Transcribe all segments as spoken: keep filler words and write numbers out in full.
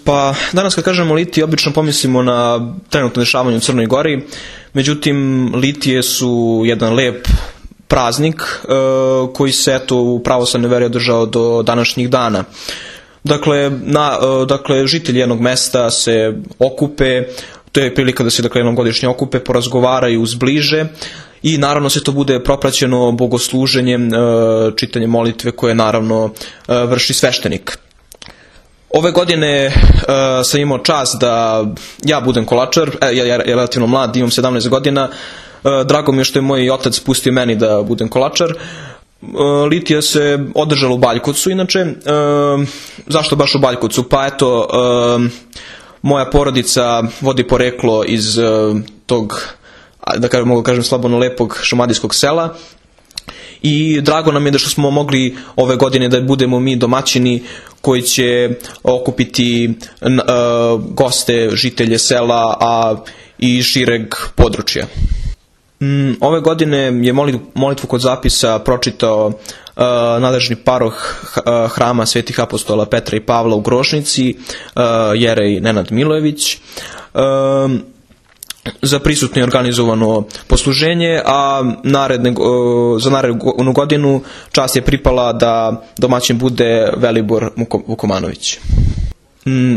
Pa, danas kad kažemo litije, obično pomislimo na trenutno dešavanje u Crnoj Gori, međutim, litije su jedan lep praznik e, koji se eto u pravoslavnoj veri održao do današnjih dana. Dakle, na, e, dakle, žitelji jednog mesta se okupe, to je prilika da se dakle, jednom godišnje okupe, porazgovaraju, zbliže i naravno se to bude propraćeno bogosluženjem, e, čitanjem molitve koje naravno e, vrši sveštenik. Ove godine uh, sam imao čast da ja budem kolačar, e, ja, ja relativno mlad, imam sedamnaest godina, uh, drago mi je što je moj otac pustio meni da budem kolačar. Uh, litija se održala u Baljkovcu inače. Uh, zašto baš u Baljkovcu? Pa eto, uh, moja porodica vodi poreklo iz uh, tog, da kažem, mogu kažem slobodno lepog šumadijskog sela. I drago nam je da što smo mogli ove godine da budemo mi domaćini koji će okupiti uh, goste, žitelje sela, a i šireg područja. Um, ove godine je molitvu kod zapisa pročitao uh, nadležni paroh uh, hrama Svetih apostola Petra i Pavla u Grošnici, uh, jerej Nenad Milojević. Uh, Za prisutno je organizovano posluženje, a naredne, za narednu godinu čast je pripala da domaćin bude Velibor Vukomanović.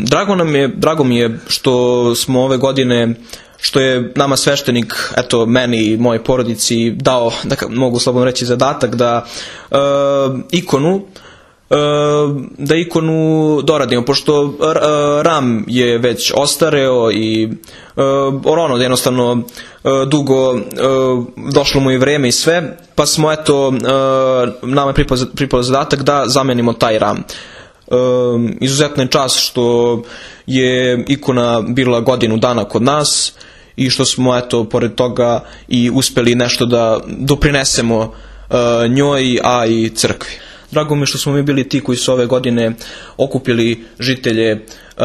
Drago nam je, drago mi je što smo ove godine, što je nama sveštenik, eto meni i mojoj porodici dao, da mogu slobodno reći, zadatak da e, ikonu da ikonu doradimo, pošto ram je već ostareo i ono jednostavno dugo došlo mu i vreme i sve, pa smo eto, nama je pripao zadatak da zamenimo taj ram. Izuzetna je čast što je ikona bila godinu dana kod nas i što smo eto pored toga i uspeli nešto da doprinesemo njoj, a i crkvi. Drago mi je što smo mi bili ti koji su ove godine okupili žitelje uh,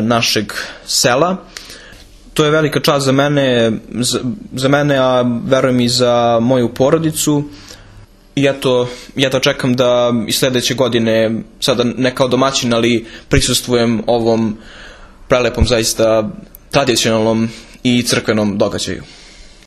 našeg sela. To je velika čast za mene, za, za mene, a verujem i za moju porodicu. I eto, ja to čekam da i sledeće godine, sada ne kao domaćin, ali prisustvujem ovom prelepom, zaista tradicionalnom i crkvenom događaju.